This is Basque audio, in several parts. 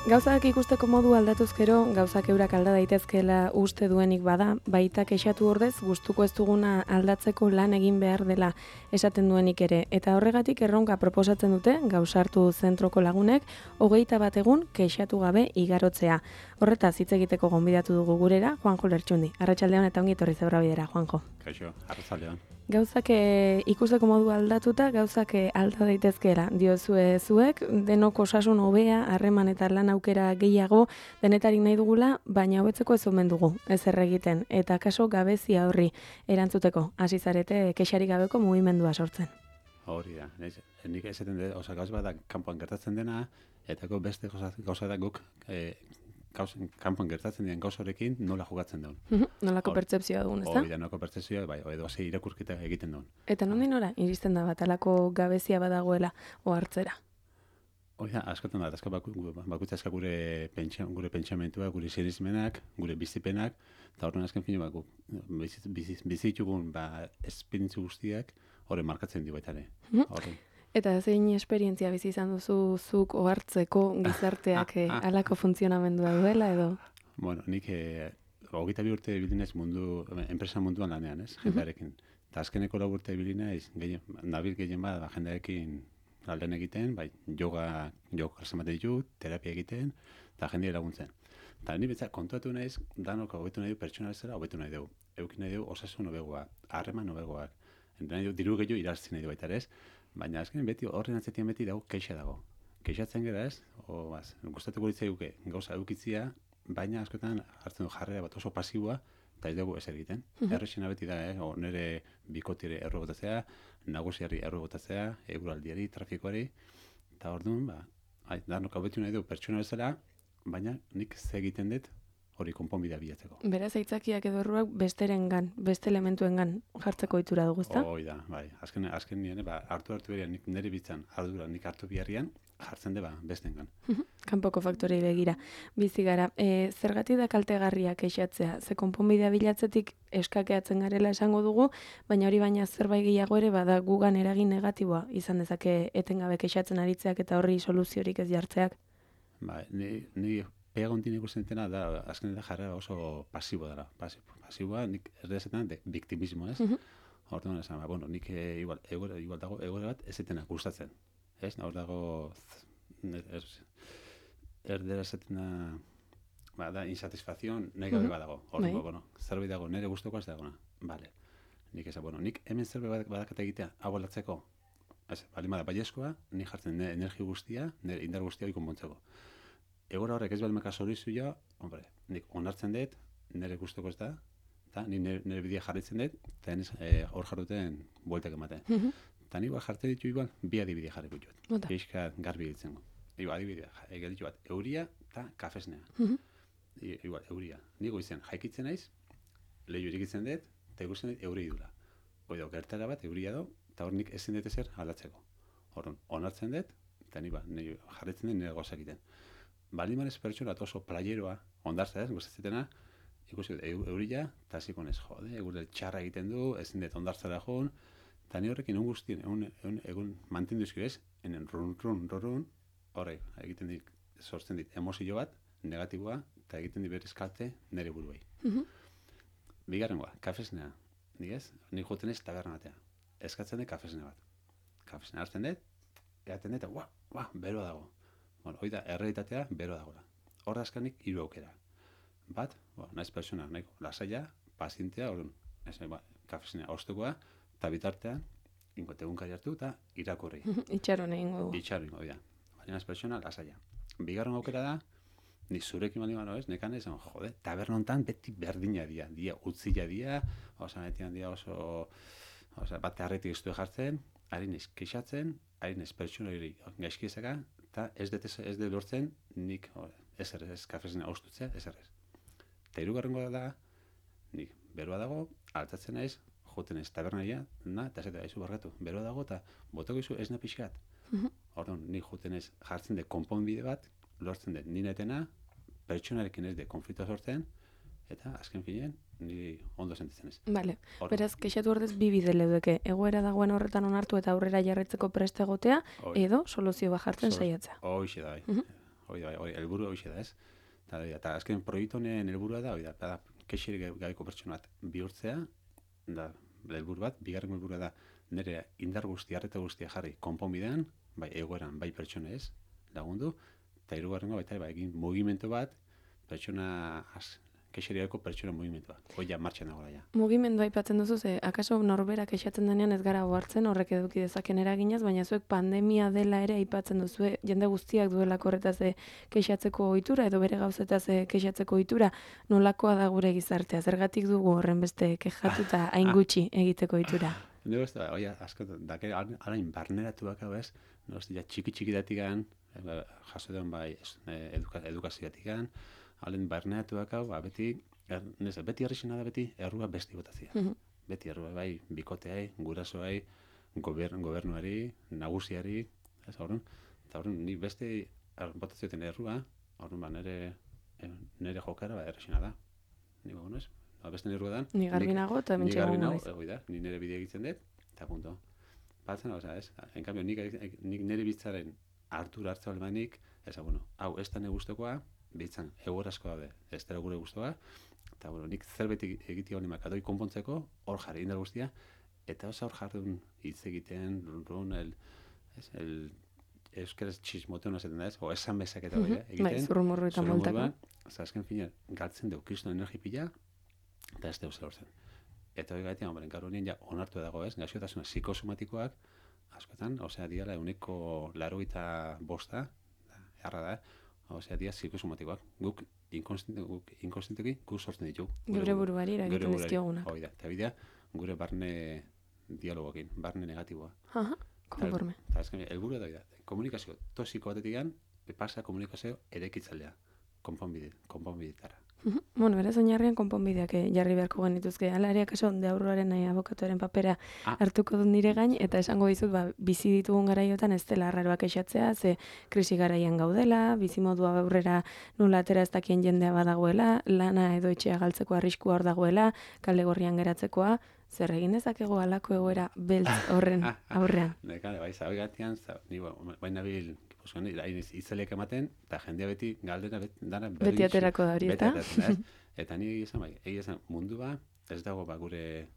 Gauzak ikusteko modu aldatuz gero, gauzak eurak alda daitezkeela uste duenik bada, baita kexatu ordez gustuko ez duguna aldatzeko lan egin behar dela esaten duenik ere. Eta horregatik erronka proposatzen dute, gauzartu zentroko lagunek, 21 egun kexatu gabe igarotzea. Horretaz hitz egiteko gonbidatu dugu gurera, Juanjo Lertxundi. Arratsaldean eta ongi etorri Zebra Bidera, Juanjo. Kaixo, arratsaldean. Gauzak ikusteko modu aldatuta, gauzak alda daitezkeela. Diozue zuek, denok osasun hobea, harreman eta lan aukera gehiago denetarik nahi dugula, baina hobetzeko ez omen dugu, ez egiten. Eta kaso gabezia horri erantzuteko, hasi zarete kexarik gabeko mugimendua sortzen. Hori da, nik esaten dut, gauz bat da kanpoan gertatzen dena, eta beste gauza da guk kanpoan gertatzen diren gauzorekin nola jokatzen duen. Nolako pertzepzioa dugun, ezta? Hori da, nolako pertzepzioa, bai, edo hasi irakurketa egiten duen. Eta nondik nora iristen da bat, alako gabezia badagoela ohartzera? Hori da, askotan da, bakutza aska gure pentsamentua, gure sinismenak, gure bizipenak, eta horren azken fine, bizitugun esperientzi guztiak horren markatzen dio baita ere. Eta zein esperientzia bizi izan duzu zuk ohartzeko gizarteak halako funtzionamendua duela edo? Bueno, nik 22 urte bilinez enpresa munduan lanean, ez, jendearekin. Eta azkeneko 4 urte bilinez, nabil gehien bat jendearekin lan egiten, bai, yoga klase ematen ditut, terapia egiten, eta jendea laguntzen. Eta ni betzak kontuatu naiz, danok hobetu nahi du pertsona bezala, hobetu nahi du. Eukin nahi du osasun hobegoa, harreman hobegoak. Nahi du diru gehiago irazi nahi du baita ez, baina azken beti horren atzetien beti dago keixa dago. Keixatzen gara ez, gustatuko litzaiguke gauza edukitzia, baina askotan hartzen du jarrera bat oso pasiboa, eta ez dugu ez egiten. Errexena beti da, nire bikotire erro botatzea, nagusiari erro botatzea, eguraldiari, trafikoari, eta orduan, danok hobetu nahi du pertsona bezala, baina nik ze egiten dut hori konponbidea bilatzeko. Beraz, aitzakiak edo erruak besterengan, beste elementuengan jartzeko ohitura dugu, ezta? Hoi da, bai. Azken nien, hartu berean, nire bitzan, ardura nik hartu biharrian, jartzen deba bestengan. Kanpoko faktorei begira. Bizi gara, zergatik da kaltegarria kexatzea? Ze konponbidea bilatzetik eskakeatzen garela esango dugu, baina hori baina zerbait gehiago ere bada gugan eragin negatiboa izan dezake etengabe kexatzen aritzeak eta horri soluziorik ez jartzeak. Bai, ni peagontin ikusten dena da, azken da jarrera oso pasibo dara. Pasiboa, nik erdezetan biktimismo, ez? Horten esan, nik igual dago egoera bat ez etena gustatzen. Ez, hor dago erdera zetena da insatisfazioan nahi gabe badago. Hor, zerbait dago, nire gustoko ez dagona. Bale. Nik esan, nik hemen zerbait badakata egitea, hau aldatzeko. Ez, balimada, baiezkoa, nik jartzen nire energi guztia, nire indar guztia hori konpontzeko. Egora horrek ez balimaka soluzioa, nik onartzen dut, nire gustoko ez da, eta nire bidea jarritzen dut, eta hor jarruten bueltak ematen. Eta nire jartzen ditu igual, bi adibidea jarriko ditut. Peixka garbi ditzen. Adibidea, ditu bat, euria eta kafesnea. Igual, euria. Nigo izan, jaikitzen naiz, lehiu irikitzen dut, eta ikusten dut euri dula. Hoi gertara bat, euria do, eta hor nik ezin dut ezer aldatzeko. Hor, onartzen dut, eta nire jarritzen dut nire gozak egiten. Balimanez pertsona oso playeroa, ondartza ez, gustazetena, ikusi eurila, eta hasiko nez, egurel txarra egiten du, ezin dut ondartzara joan, eta ni horrekin egun mantendu izkio ez, enen run, horrek, egiten dit, sortzen dit, emozio bat, negatiboa, eta egiten dit berriz kalte nire buruei. Bigarrengoa, kafesnea, nik joten ez taberna batea, eskatzen dut kafesnea bat. Kafesnea hartzen dut, egaten dut, beroa dago. Hoi da, errealitatea bero dagoela. Hor da azkanik 3 aukera. Bat, naiz pertsona, nahiko lasaia, pazientea, kafesnea ostekoa, eta bitartean, egunkari hartu eta irakurri. Itxaron egingo dugu. Itxaron, hoi da. Naiz pertsona, lasaia. Bigarren aukera da, ni zurekin bali ez, nekan esan, taberna hontan beti berdina dia utzila dia, betian dia oso, bat harretik iztu jartzen, harin ez kexatzen, harin ez pertsona gaizkizaka, eta ez dut lortzen nik ez kafesena ostutzea, ez. Eta hirugarrengoa da, nik beroa dago, altatzen naiz, joten ez tabernaia, eta ez da izu bargatu, beroa dago, eta botako izu ez na pixkat. Orduan, nik joten ez jartzen dut konponbide bat, lortzen dut ninetena, pertsonarekin ez dut konfliktoa sortzen, eta azken finean, ni ondo sentitzen ez. Bale, beraz, kexatu ordez bi bide leudeke, egoera dagoen horretan onartu eta aurrera jarretzeko prest egotea, edo soluzio bat jartzen saiatzea. Hoxe da, hori, helburu hori da, ez? Eta azken proiektu honen helburua da, kexerik gabeko pertsona bat bihurtzea, da, helburu bat, bigarren helburua da, nire indar guztia, arreta guztia jarri konponbidean, bai egoeran, bai pertsona ez, lagundu, eta hirugarrengo baita egin mugimendu bat, pertsona kexeriako pertsona mugimentua. Hoi ja martxan dagoela ja. Mugimendua aipatzen duzu, akaso norberak kexatzen denean ez gara ohartzen, horrek eduki dezaken eraginaz, baina zuek pandemia dela ere aipatzen duzu, jende guztiak duelako horretaz kexatzeko ohitura edo bere gauzetaz kexatzeko ohitura, nolakoa da gure gizartea? Zergatik dugu horren beste kexatuta hain gutxi egiteko ohitura? Nego ez da, asko, dake alain barneratuak hau ez, txiki datigan, jaso den bai edukazio datigan, halen barneatuak hau, beti errexena da beti errua besti botazia. Beti errua bai, bikoteai, gurasoai, gobernuari, nagusiari, ez horren. Eta horren, nik beste botazioetan errua, horren nire jokara errexena da. Ni bago ez? Beste nire errua da. Ni garbinago eta mentxe gago naiz. Ni nire bidea egiten dut, eta punto. Batzen, ez? En cambio, nik nire bitzaren hartura hartza albanik, hau ez da nire guztokoa, bitzan, egorazko daude, ez dara gure guztua, eta nik zerbait egitea honi makadoi konpontzeko, hor jarri indar guztia, eta oso hor jarri hitz egiten, euskaraz txismoteon azeten da ez, o esan bezak eta hori, egiten. Bai, zurrumurru eta moltako. Azken fina, galtzen deu kriston energi pila, eta ez deu zelortzen. Eta hori gaitean, gaur honien ja onartu dago ez, gaixotasuna psikosomatikoak, askotan, diala 85%, erra da, dia psikosomatikoak. Guk inkonstenteki guk sortzen ditu. Gure buruari eragiten dizkiogunak. Hoi da, eta bidea gure barne dialogoekin, barne negatiboa. Konforme. Eta azken, helburua da, komunikazio toxiko batetik pasa komunikazio erekitzalea, konponbidetara. Bueno, beraz oinarrian konponbideak jarri beharko genituzke. Hala ere, akaso deaurroaren abokatuaren papera hartuko dut nire gain, eta esango dizut, bizi ditugun garaiotan ez dela arraroak esatzea, ze krisi garaian gaudela, bizimodua aurrera nola atera ez dakien jendea badagoela, lana edo etxea galtzeko arriskua hor dagoela, kale gorrian geratzekoa, zer egin dezakego halako egoera beltz horren aurrean. Bai, zabe gatian, baina bil itzeleak ematen, eta jendea beti galdera dara beti aterako da hori, eta? Eta ni egia mundua, ez dago gure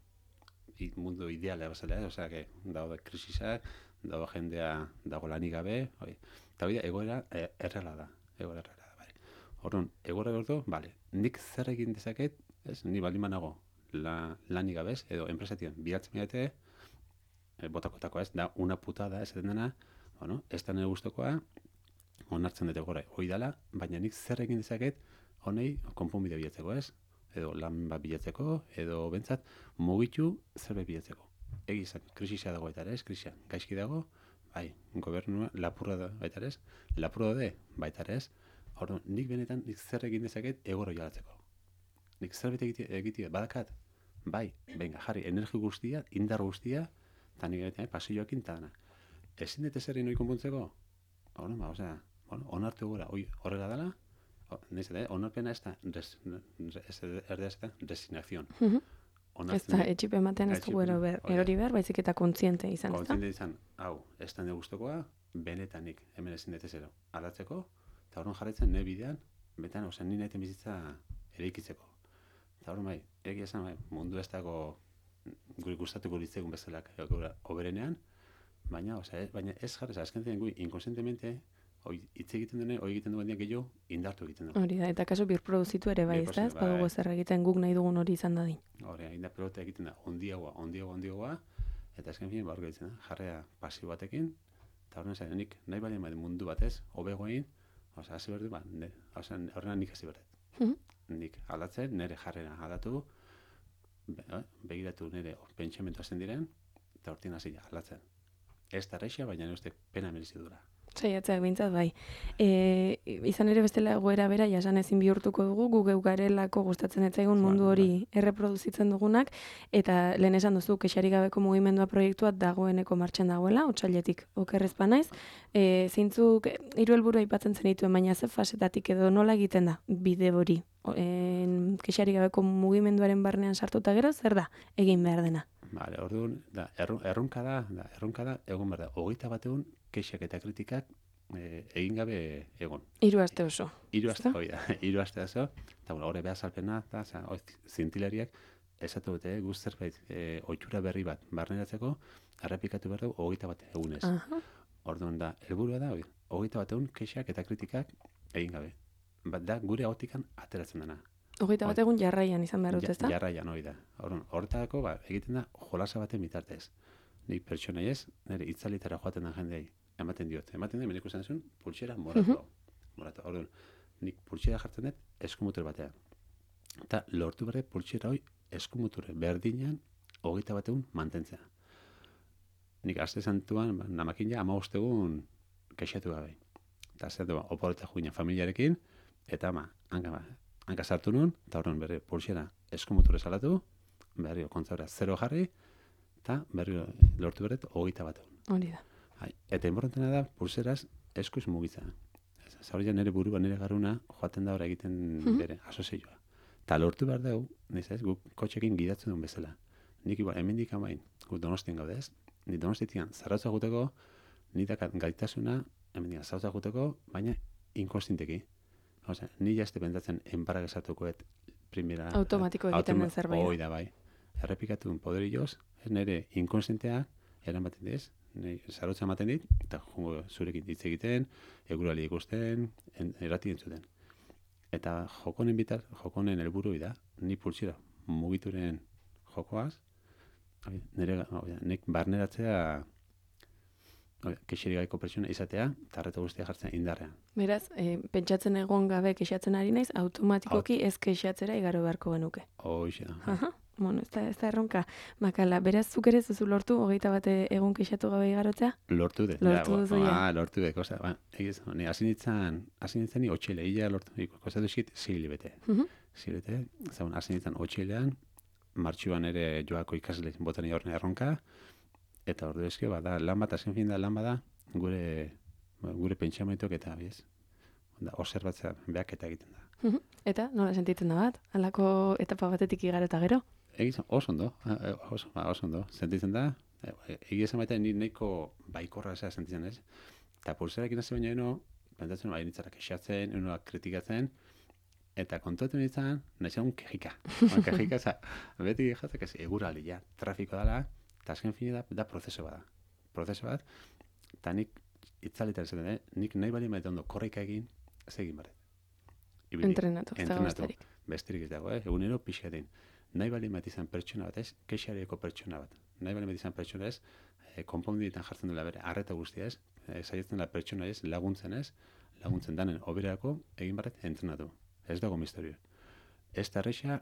mundu ideala bazala, dago krisisak, dago jendea dago lanik gabe, eta bida egoera erreala da, Orduan, egoera gordo, nik zer egin dezaket, ni baldin banago lanik gabez, edo enpresatien bilatzen midate, botakotako ez, da una putada ez dena, ez da nire guztokoa, onartzen dute gora, hoi dala, baina nik zer egin dezaket, honei konponbide bilatzeko ez, edo lan bat bilatzeko, edo bentsat mugitu zerbait bilatzeko. Egizak, krisisa dago baita ere ez, krisia gaizki dago, bai, gobernua lapurra da baita ere ez, lapurra da baita ere ez, orduan, nik benetan nik zer egin dezaket egoro jalatzeko. Nik zerbait egitea badakat, bai, venga, jarri, energi guztia, indar guztia, eta nik egiten pasioakin eta dana. Ezin dut ezerri noi konpontzeko? Onartu gora, horrela dela, onarpena ez da, resignazion. Ez da, etxipe ematen ez dugu erori behar, baizik eta kontziente izan, ez da? Kontziente izan, hau, ez da nire guztokoa, benetanik, hemen ezin dut ezero, aldatzeko, eta horren jarraitzen nire bidean, betan, nire eten bizitza eraikitzeko. Eta horren bai, egia esan, mundu ez dago gure gustatuko litzegun bezalak oberenean, baina ez jarrez, azken zen gui, inkonsientemente, hitz egiten dene, egiten duen diak gehiago, indartu egiten du. Hori da, eta kaso birproduzitu ere bai, ez da? Ez badugu zer egiten guk nahi dugun hori izan dadin. Hori, indar pelota egiten da, ondiagoa, eta azken fin, barko egiten da, jarrea pasio batekin, eta horren zain, nik nahi bali mundu batez, hobegoin, hasi berdu, horrena nik hasi berdet. Nik aldatzen, nire jarrera aldatu, begiratu nire pentsamentu hasten diren, eta hortin hasi aldatzen. Ez da reixia, baina uste pena merezi dura. Saiatzeak bintzat, bai. Izan ere bestela egoera bera, jasan ezin bihurtuko dugu, gu geu garelako gustatzen etzaigun mundu hori erreproduzitzen dugunak, eta lehen esan duzu, kexarik gabeko mugimendua proiektua dagoeneko martxan dagoela, otsailetik okerrezpa naiz. Zeintzuk 3 helburu aipatzen zenituen, baina ze fasetatik edo nola egiten da bide hori? Kexarik gabeko mugimenduaren barnean sartuta gero, zer da egin behar dena? Orduan, erronka da, egon behar da, 21 kexak eta kritikak egin gabe egon. 3 aste oso. 3 aste, hori da, 3 aste oso, eta hori behar salpena, eta zintilariak esatu dute, guz zerbait, ohitura berri bat barneratzeko, errepikatu behar dugu 21 egunez. Orduan da, helburua da, 21 egun kexak eta kritikak egin gabe. Da, gure ahotikan ateratzen dena. 21 egun jarraian izan behar dut, ezta? Jarraian, hori da. Horretako, egiten da, jolasa baten bitartez. Nik pertsonai ez, nire itzalitara joaten da jendei, ematen diot. Ematen da, meneko zen pultsera moratu. Orduan, nik pultsera jartzen dut, eskumutur batean. Eta lortu berre pultsera hori eskumuture berdinean 21 egun mantentzea. Nik aste santuan, namakin ja, 15 egun kexatu gabe. Eta zer oporretak juina familiarekin, eta hanka sartu nuen, eta horren berri pulsera eskumuture salatu, berri kontzabera 0 jarri, eta berri lortu berret 21 egun. Hori da. Eta importantena da, pulseraz eskuz mugitza. Zaurria nire burua, nire garuna, joaten da hori egiten bere, asozioa. Eta lortu behar dugu, guk kotxekin gidatzen duen bezala. Nik hemendik amain, guk Donostien gaude ez, ni Donostitian zarrautza guteko, ni dakat gaitasuna, hemendik zarrautza guteko, baina inkostinteki. Osea, ni jazte pentsatzen enparak esatukoet primera... Automatiko egiten den zerbait. Hoi da, bai. Errepikatu duen poderioz, ez nire inkonstintea, eramaten dez, zarrautza ematen dit, eta zurekin hitz egiten, egurali ikusten, errati entzuten. Eta jokonen helburu da, ni pultsira mugituren jokoaz, nik barneratzea kexerik gaiko pertsona izatea, eta arreta guztia jartzen indarrean. Beraz, pentsatzen egon gabe kexatzen ari naiz, automatikoki ez kexatzera igaro beharko genuke. Hoxe da. Bueno, ez da erronka. Makala, beraz, zuk ere zuzu lortu, 21 egun kexatu gabe igarotzea? Lortu de. Lortu duzu, ja. Lortu de, kosa. Hasi nintzen ni otxeile, lortu, kosa duzit, zilibete. Zilibete, zaun, hasi nintzen otxeilean, martxuan ere joako ikasle botan horren erronka, eta ordu eske, da, lan bat, azken fin da, lan bada, gure pentsamentok eta, biz, observatzea behak eta egiten da. Eta, nola sentitzen da bat? Halako etapa batetik igaro eta gero? Egizan, oso ondo, sentitzen da, egizan baita nahiko baikorra zera sentitzen ez, eta pulserak inazio baina eno, pentsatzen nitzara kexatzen, enoak kritikatzen, eta kontuetan nintzen, nahi un kejika. Kejika, beti jatzak ez, egurali, ja, trafiko dela, eta azken fini da prozeso bat. Prozeso bat, eta nik itzalitan zaten, nik nahi bali maite ondo korrika egin, ez egin barret. Entrenatu, ez dago besterik. Besterik ez dago, egunero pixkaten. Nahi bali maite izan pertsona bat ez, kexarieko pertsona bat. Nahi bali maite izan pertsona ez, konponbidetan jartzen dela bere, arreta guztia ez, saietzen da pertsona ez, laguntzen danen oberako, egin barret entrenatu. Ez dago misterio. Ez da erreixa,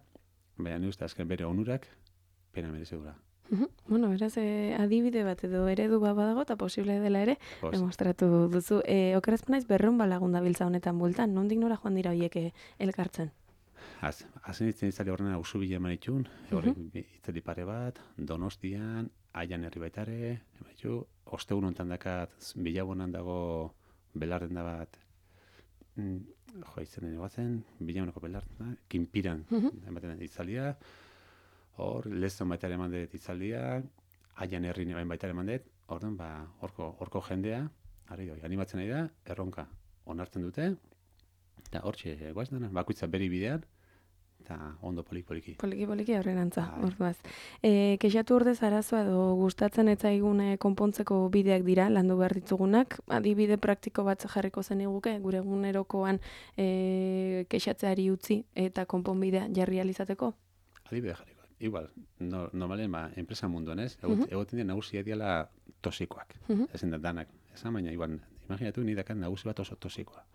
baina ni uste azken bere onurak, pena merezegura. Bueno, beraz, adibide bat edo eredu bat badago, eta posible dela ere, demostratu duzu. Okerazpenaiz berreun balagun dabiltza honetan bueltan, nondik nora joan dira horiek elkartzen? Hazen itzen itzali horrena usu bila eman itxun, itzali pare bat, Donostian, Aian herri baitare, ostegun ontan dakat, bilabonan dago belarden da bat, izanen egoatzen, bilabonako belarden da, Kinpiran, ematen itzalia, hor, lezon baitare eman dut itzaldia, Aian herri baitare eman dut, horko jendea, animatzen nahi da, erronka onartzen dute, eta hortxe, guaz dena, bakoitza beri bidean, eta ondo poliki-poliki. Poliki-poliki aurrerantza, orduaz. Kexatu ordez arazoa edo gustatzen etzaigun konpontzeko bideak dira, landu behar ditugunak, adibide praktiko bat jarriko zen iguke, gure egunerokoan kexatzeari utzi eta konponbidea jarri alizateko? Adibide jarriko. Igual, normalen, enpresa munduan ez, egoten dira nagusia diala tosikoak. Ezen da danak. Esan baina, igual, imaginatu, ni dakat nagusi bat oso tosikoa.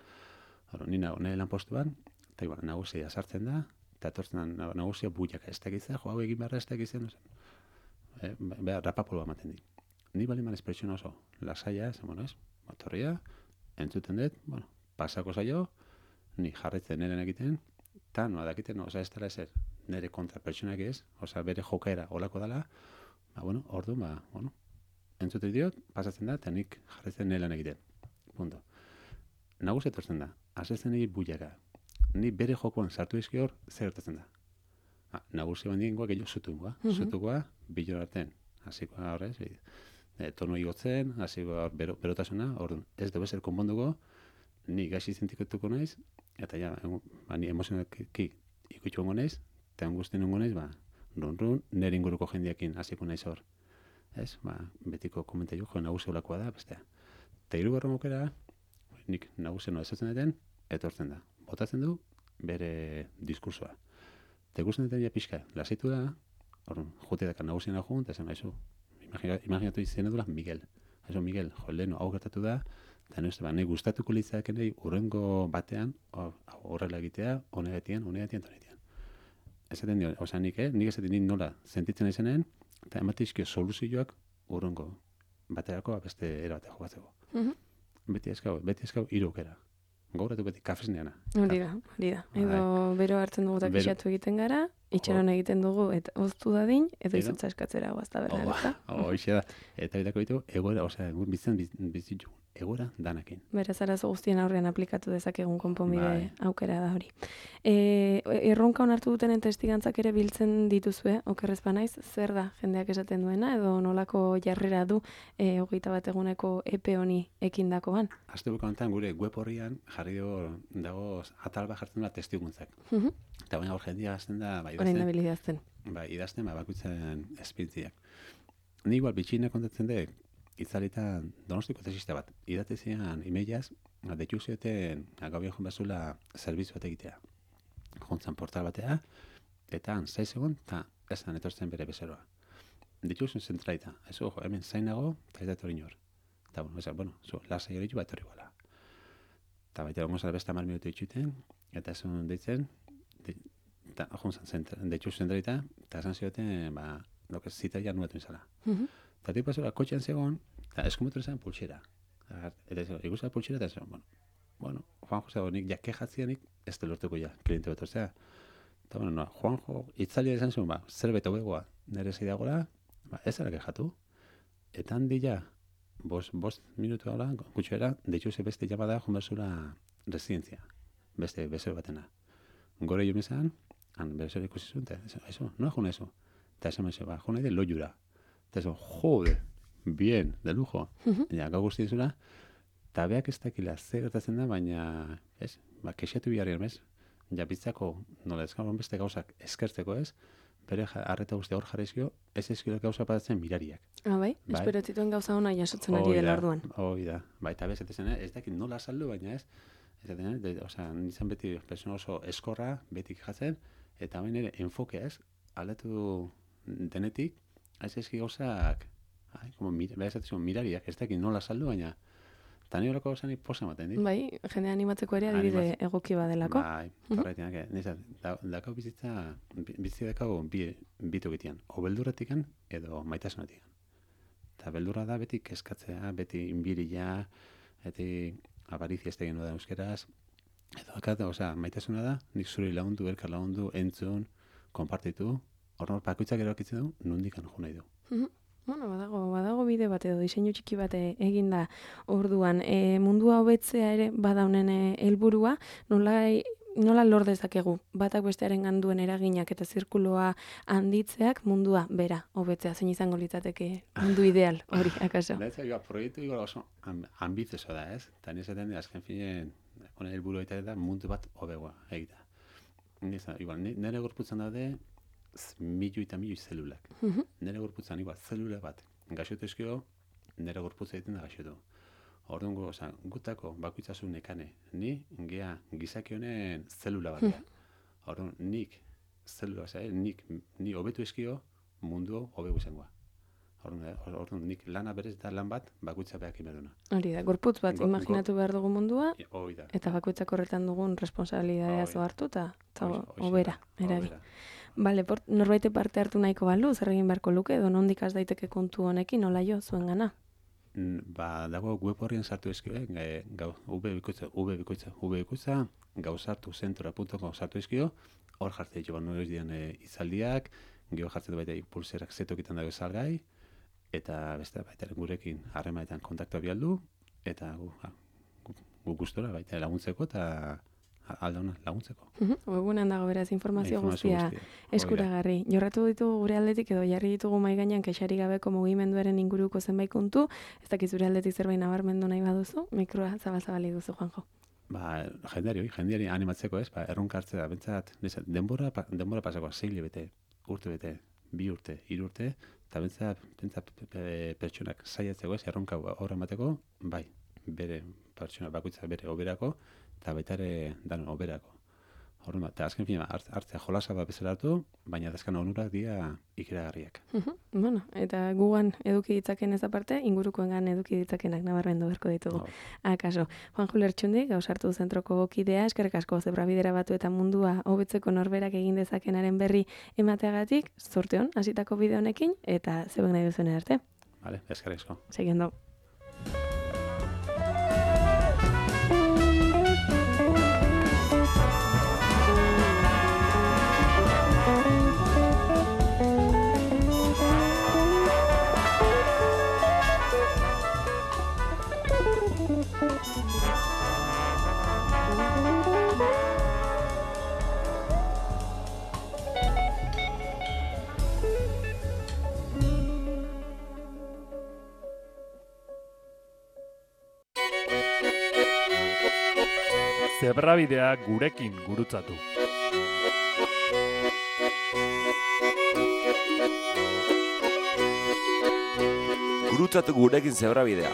Ni nahi lan postuan, eta igual, nagusia sartzen da, eta etortzen da nagusia buiak ez tekizea, hau egin beharra ez tekizea, no zen. Beha, rapapoloa ematen di. Ni bali man espresiona oso, lasaia, ez, motorria, entzuten dut, pasako zaio, ni jarretzen neren egiten, eta noa dakiten, ez dara ezer, nire kontra pertsonak ez, bere jokaera olako dela, ordu, entzuten diot, pasatzen da, eta nik jarretzen neren egiten. Punto. Nagusia etortzen da, asetzen egin buiaka. Ni bere jokoan sartu izki hor, zer gertatzen da. Nagusia bandien goa gehiago zutungoa. Zutungoa, bilor arten. Hasikoa horrez, tono igotzen, hasi berotasuna, orduan, ez dugu ezer konponduko, ni gaixi sentituko naiz, eta ja, ni emozionalki ikutxuango naiz, eta angustien ongo naiz, run, nire inguruko jendeakin hasiko naiz hor. Ez, betiko komentario jo nagusi olakoa da, bestea. Eta hirugarren aukera, nik nagusien esatzen duten, etortzen da. Botatzen du, bere diskursoa. Eta ikusten duten ja pixka, lasaitu da, orduan, jute daka nagusiena joan, eta esan gaizu, imaginatu izan edula Miguel. Eso, Miguel, leheno, hau gertatu da, eta nahi gustatuko litzaken nahi urrengo batean horrela egitea, honegatian. Ezaten dio, nik ezaten nik nola sentitzen izanen, eta ematizkio soluzioak urrengo baterako beste erabatea jokatzeko. Beti eskau irukera. Gauratu beti kafesneana. Hori da. Edo bero hartzen dugu eta pixatu egiten gara, itxaron egiten dugu, eta oztu dadin, edo izotza eskatzera guazta berna. Hoxe da. Eta bitako ditu, egoera, bizitu, egoera danakin. Beraz, arazo guztien aurrean aplikatu dezakegun konponbide aukera da hori. Erronka onartu dutenen testigantzak ere biltzen dituzue, okerrez banaiz, zer da jendeak esaten duena, edo nolako jarrera du 21 eguneko epe honi ekindakoan? Asteburuko honetan gure web horrian jarri dago atal bat jartzen da testiguntzak. Eta baina hor jendia azten da, idazten, bakutzen espiritiak. Ni igual bitxina kontatzen dek, itzalitan Donostiko tesista bat. Idatezian imeilaz, detu zioten gaubian joan bazula zerbitzu bat egitea. Jontzan portal batea, eta 6 segun, eta esan etortzen bere bezeroa. Ditu zuen zentraita. Eso, hemen zainago, eta ez da etorri nor. Eta, lasai hori bat etorri gola. Eta baita gongo zara besta 10 minutu itxuten, eta esan deitzen, eta jontzan detu zentraita, eta esan zioten, zita ja nuetu izala. Eta tipu azora, kotxean zegoen, eta eskumetu izan pulsera. Eta ikusten pulsera, eta esan, Juanjo zegoen, nik jake jatzianik, ez da lortuko ja, kliente beto, zera. Eta, Juanjo, itzalia izan zuen, zerbait hobegoa nire zeidagola, ez ara kejatu. Eta handi ja, 5 minutu hola, kutxoera, deitu ze beste llamada jonbazura residentzia, beste bezero batena. Gore jo mezan, han bezero ikusi zuen, eta eso, nola jona eso? Eta esan mezio, jona ide loiura. Eta eso, jode, bien, de lujo. Ja, gau guzti dizula, eta beak ez dakila zer gertatzen da, baina, ez, kexatu biharrian, ez? Ja, bitzako, nola ezkagoen beste gauzak eskertzeko, ez? Bere arreta guzti hor jarrizkio, ez ezkilo gauza patatzen mirariak. Bai? Espero zituen gauza hona jasotzen ari dela orduan. Hoi da. Eta bez, ez dakit nola saldu, baina ez. Nizan beti persona oso eskorra, beti jatzen, eta baina ere enfokea ez, aldatu denetik, ez ezki gauzak, mirariak, ez dakit nola saldu, baina eta nire horako gauza nik posa ematen dit. Bai, jende animatzeko ere adibide egoki badelako. Bai, horretik, dakau bizitza dakau bitu egitean, o beldurretikan edo maitasunetikan. Eta beldurra da beti keskatzea, beti inbiria, beti avarizia ez tegin da euskeraz, edo maitasuna da, nik zuri lagundu, elkar lagundu, entzun, konpartitu, hor bakoitzak erakitzen du, nondikan jo nahi du. Badago bide bat edo diseinu txiki bat eginda orduan. Mundua hobetzea ere badaunen helburua, nola lor dezakegu batak bestearen ganduen eraginak eta zirkuloa handitzeak mundua bera hobetzea, zein izango litzateke mundu ideal hori, akaso? Proiektu igual oso ambizioso da, ez? Eta nizaten azken finen, honen helburu da mundu bat hobegoa egita. Nire gorputzan daude, milioi eta milioi zelulak. Nire gorputzan, zelula bat gaixotu ezkio, nire gorputza egiten da gaixotu. Orduan gutako bakoitzasun nekane, ni gizaki honen zelula bat. Orduan nik zelula bat, ni hobetu ezkio mundu hobegu izangoa. Orduan nik lana berez eta lan bat bakoitza behak imerduna. Hori da, gorputz bat imaginatu behar dugu mundua, eta bakoitzak horretan dugun responsabilidadea hartu eta hobera eragi. Bale, norbaite parte hartu nahiko balu, zer egin beharko luke, edo nondik has daiteke kontu honekin, nola jo, zuen gana? Dago web horrien sartu ezkio, ubikoitza, gauzartuzentura.com sartu ezkio, hor jartzen ditu noiz dian izaldiak, gero jartzen du baita pulserak zetokitan dago salgai, eta beste baita gurekin harremanetan kontaktua bialdu, eta gu gustora baita laguntzeko eta aldauna laguntzeko. Webunean dago beraz informazio guztia eskuragarri. Jorratu ditugu gure aldetik edo jarri ditugu mahai gainean kexari gabeko mugimenduaren inguruko zenbait kontu, ez dakit zure aldetik zerbait nabarmendu nahi baduzu, mikroa zabal-zabalik duzu, Juanjo. Jendeari animatzeko ez, erronka hartzea, bentsat, denbora pasako, 6 hilabete, urte bete, 2 urte, 3 urte, eta bentsat pertsonak saiatzeko ez, erronka horra emateko, bai, bere pertsona bakoitza bere oberako, eta baita ere dan oberako. Horren bat, eta azken fina, hartzea jolasa bat bezala hartu, baina azken onurak dira ikeragarriak. Bueno, eta gugan eduki ditzaken ez aparte, ingurukoengan eduki ditzakenak nabarmendu beharko ditugu. Akaso, Juanjo Lertxundi, Gauzartu zentroko kidea, eskerrik asko zebrabidera batu eta mundua hobetzeko norberak egin dezakenaren berri emateagatik, zorte hon, hasitako bide honekin, eta zebek nahi duzuen arte. Vale, eskerrik asko. Seguindo. Zebrabidea gurekin gurutzatu. Gurutzatu gurekin zebrabidea.